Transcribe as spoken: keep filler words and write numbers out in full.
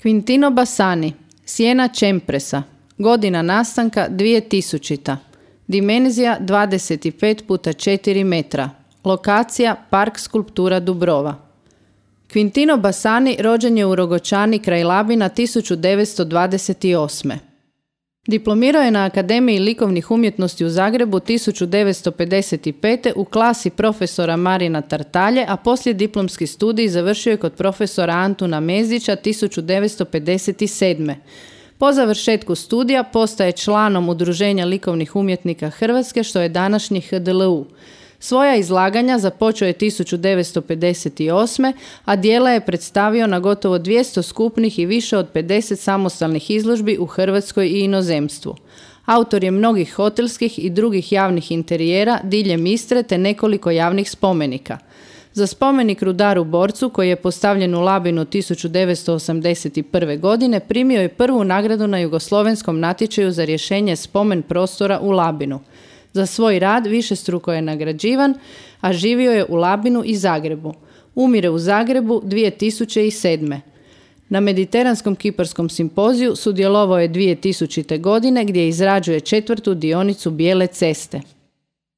Quintino Bassani, Siena Čempresa, godina nastanka dvije tisućita, dimenzija dvadeset pet puta četiri metra, lokacija Park skulptura Dubrova. Quintino Bassani rođen je u Rogočani kraj Labina tisuću devetsto dvadeset osme. Diplomirao je na Akademiji likovnih umjetnosti u Zagrebu tisuću devetsto pedeset pete u klasi profesora Marina Tartalje, a poslije diplomski studij završio je kod profesora Antuna Mezdića tisuću devetsto pedeset sedme. Po završetku studija postaje članom Udruženja likovnih umjetnika Hrvatske, što je današnji H D L U. Svoja izlaganja započeo je tisuću devetsto pedeset osme, a djela je predstavio na gotovo dvjesto skupnih i više od pedeset samostalnih izložbi u Hrvatskoj i inozemstvu. Autor je mnogih hotelskih i drugih javnih interijera diljem Istre te nekoliko javnih spomenika. Za spomenik rudaru Borcu, koji je postavljen u Labinu tisuću devetsto osamdeset prve. godine, primio je prvu nagradu na jugoslovenskom natječaju za rješenje spomen prostora u Labinu. Za svoj rad višestruko je nagrađivan, a živio je u Labinu i Zagrebu. Umire u Zagrebu dvije tisuće sedme. Na Mediteranskom kiparskom simpoziju sudjelovao je dvije tisućite. godine gdje izrađuje četvrtu dionicu Bijele ceste.